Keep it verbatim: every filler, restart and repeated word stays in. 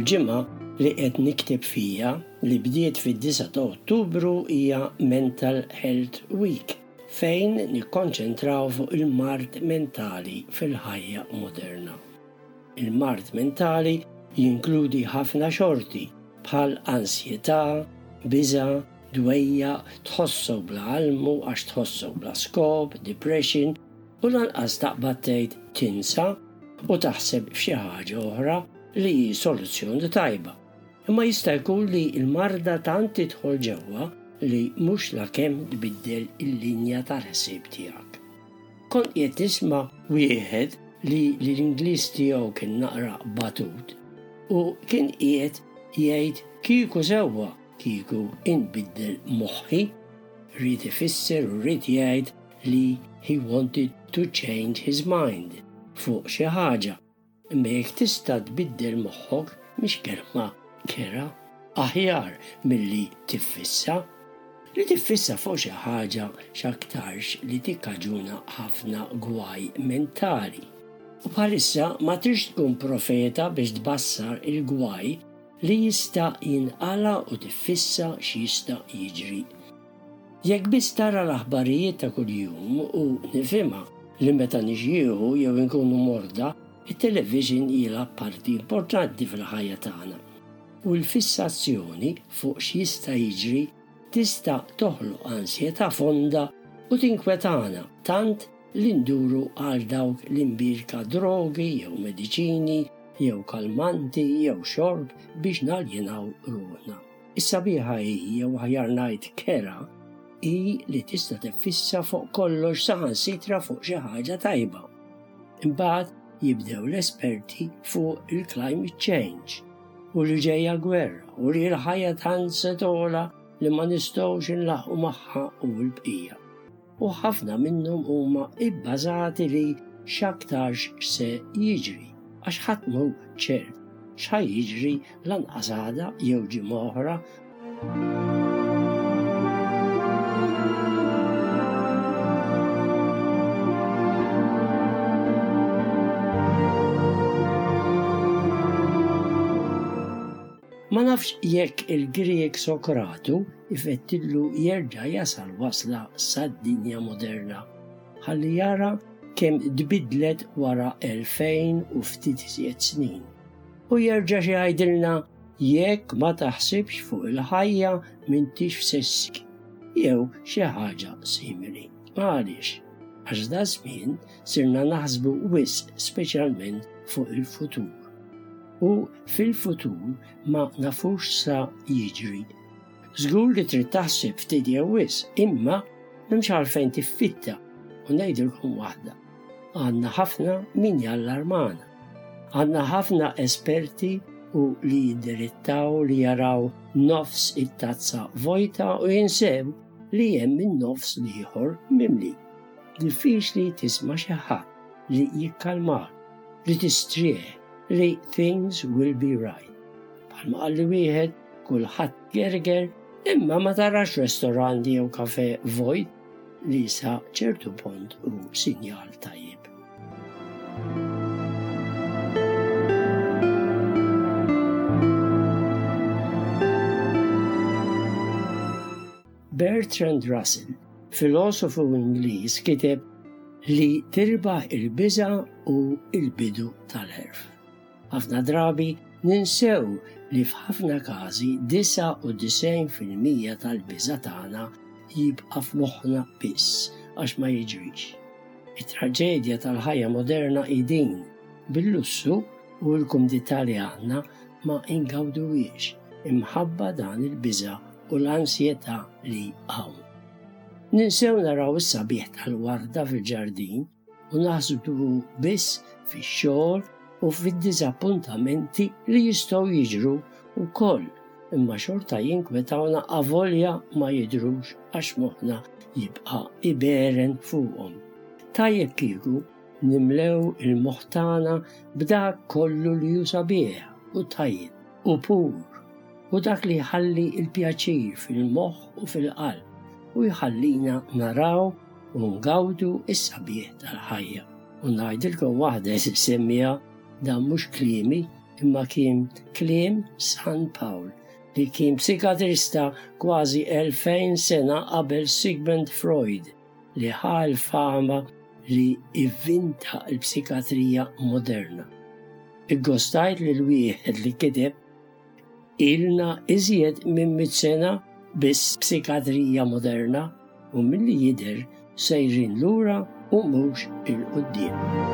Il-ġimgħa li qed nikteb fija li bdiet fid-disgħa ta' Ottubru hija Mental Health Week, fejn nikkonċentraw fuq il-mard mentali fil-ħajja moderna. Il-mard mentali jinkludi ħafna xorti bħal ansjetà, biża', dwejjaq, tħossok bla almu għax tħossok bla skop, depression, u lanqas taqbad tgħid tinsa u taħseb f'xi ħaġa oħra li hi soluzzjoni tajba. Imma jista' jkun li l-marda tant tidħol ġewwa li mhux lakemm tbiddel il-linja tal-ħsieb tiegħek. Kont qiegħed nisma' wieħed li l-Ingliż tiegħu kien naqra batut u kien qiegħed jgħid kieku sewwa kieku inbiddel moħħi, ried ifisser u ried jgħid li he wanted to change his mind fuq xi ħaġa. Imma jekk tista' tbiddel moħħok mhix kelma kera, aħjar milli tiffissa. Li tiffissa fuq xi ħaġa x'aktarx li tikkaġuna ħafna gwaj mentali. U bħalissa ma trix tkun profeta biex tbassar il-gwaj li jista' jinqala u tiffissa x'jista' jiġri. Jekk biss tara l-aħbarijiet ta' kuljum u nifhimha li meta nixjieħu jew inkunu morda, it-television jilgħab parti importanti fil-ħajja tagħna. U l-fissazzjoni fuq x'jista' jiġri tista' toħloq ansjetà fonda u tinkwetana tant li nduru għal dawk l-imbirka drogi jew mediċini jew kalmanti jew xorb biex naljenaw ruħna. Is-sabiħa hi, jew aħjar ngħid kera, hi li tista' tiffissa fuq kollox saħansitra fuq xi ħaġa tajba. Imbagħad jibdew l-esperti fuq il-climate change u li ġejja gwerra u li l-ħajja tant se togħla li ma nistgħux inlaħqu magħha u l-bqija. U ħafna minnhom huma ibbażati li x'aktarx se jiġri, għax ħadd mhu ċert x'ħa jiġri lanqas għada jew ġimgħa oħra. Ma nafx jekk il-Grieg Sokratu ifettillu jerġa' jasal wasla sad-dinja moderna, ħalli jara kemm tbidlet wara elfejn u ftit iżjed snin. U jerġa' xi jgħidilna jekk ma taħsibx fuq il-ħajja m'intix f'sessik jew xi ħaġa simili. Għaliex? Għax da żmien sirna naħsbu wisq speċjalment fuq il-futur. U fil-futur ma nafux sa jiġri. Żgur li trid taħseb ftit jew wisq, imma m'hemmx għalfejn tiffitta. U ngħidilkom waħda, għandna ħafna min jallarmana. Għandna ħafna esperti u li jiddirittaw li jaraw nofs it-tazza vojta u jinsew li hemm in-nofs l-ieħor mimli. Diffiċli tisma' xi ħadd li jikkalmak, li tistrieħ, li things will be right. Bħalma qalli wieħed, kulħadd gerger, imma ma tarax restorant jew kafe vojt li sa ċertu punt hu sinjal tajjeb. Bertrand Russell, filosofu Ingliż, kiteb li tirbaħ il-biża' u il-bidu tal-għerf. Ħafna drabi ninsew li f'ħafna każi disgħa u disgħin fil-mija tal-biża' tagħna jibqa' f'moħħna biss għax ma jiġrix. It-traġedja tal-ħajja moderna hi din, bil-lussu u l-kumdità li għandna ma ingawduhiex imħabba dan il-biża' u l-ansjetà li hawn. Ninsew naraw is-sabiħ tal-warda fil-ġardin u naħsbu biss fix-xogħol u fid-diżappuntamenti li jistgħu jiġru wkoll, imma xorta jinkwetawna avolja ma jidhrux għax moħħna jibqa' iberen fuqhom. Tajjeb kieku nimlew il-moħħ tagħna b'dak kollu li hu sabiħ u tajjeb u pur u dak li jħalli l-pjaċir fil-moħħ u fil-qalb u jħallina naraw u ngawdu s-sabiħ tal-ħajja. U ngħidilkom waħda semmija dan mhux kliemi imma kien kliem San Pawl li kien psikatrista kważi elfejn sena qabel Sigmund Freud li ħa l-fama li ivvinta l-psikatrija moderna. Iggostajt lil wieħed li kiteb ilna iżjed minn mitt sena bis-psikatrija moderna u milli jidher sejrin lura u mhux 'il quddiem.